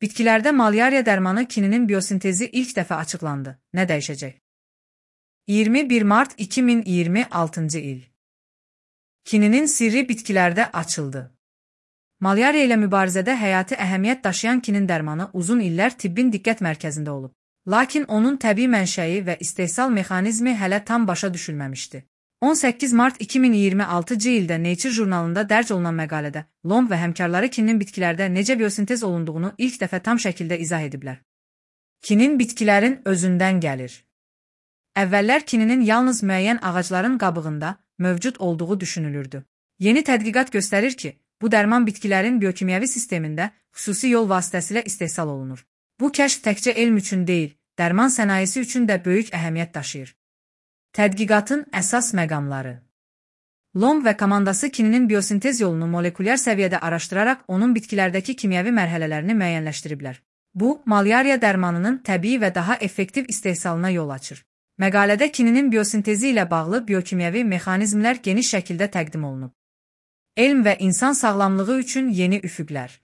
Bitkilərdə malyariya dərmanı kininin biosintezi ilk dəfə açıqlandı. Nə dəyişəcək? 21 mart 2026-cı il. Kininin sirri bitkilərdə açıldı. Malyariya ilə mübarizədə həyati əhəmiyyət daşıyan kinin dərmanı uzun illər tibbin diqqət mərkəzində olub. Lakin onun təbii mənşəyi və istehsal mexanizmi hələ tam başa düşülməmişdi. 18 mart 2026-cı ildə Nature jurnalında dərc olunan məqalədə Lomb və həmkarları kinin bitkilərdə necə biosintez olunduğunu ilk dəfə tam şəkildə izah ediblər. Kinin bitkilərin özündən gəlir. Əvvəllər kininin yalnız müəyyən ağacların qabığında mövcud olduğu düşünülürdü. Yeni tədqiqat göstərir ki, bu dərman bitkilərin biokimyəvi sistemində xüsusi yol vasitəsilə istehsal olunur. Bu kəşf təkcə elm üçün deyil, dərman sənayesi üçün də böyük əhəmiyyət daşıyır. Tədqiqatın əsas məqamları. Lomb və komandası kininin biosintez yolunu molekulyar səviyyədə araşdıraraq onun bitkilərdəki kimyəvi mərhələlərini müəyyənləşdiriblər. Bu, malyariya dərmanının təbii və daha effektiv istehsalına yol açır. Məqalədə kininin biosintezi ilə bağlı biokimyəvi mexanizmlər geniş şəkildə təqdim olunub. Elm və insan sağlamlığı üçün yeni üfüqlər.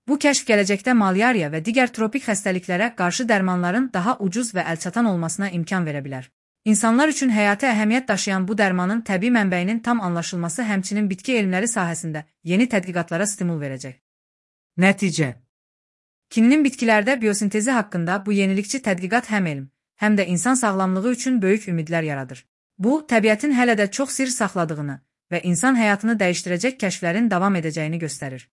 Bu kəşf gələcəkdə malyariya və digər tropik xəstəliklərə qarşı dərmanların daha ucuz və əlçatan olmasına imkan verə bilər. İnsanlar üçün həyati əhəmiyyət daşıyan bu dərmanın təbii mənbəyinin tam anlaşılması həmçinin bitki elmləri sahəsində yeni tədqiqatlara stimul verəcək. Nəticə. Kininin bitkilərdə biosintezi haqqında bu yenilikçi tədqiqat həm elm, həm də insan sağlamlığı üçün böyük ümidlər yaradır. Bu, təbiətin hələ də çox sir saxladığını və insan həyatını dəyişdirəcək kəşflərin davam edəcəyini göstərir.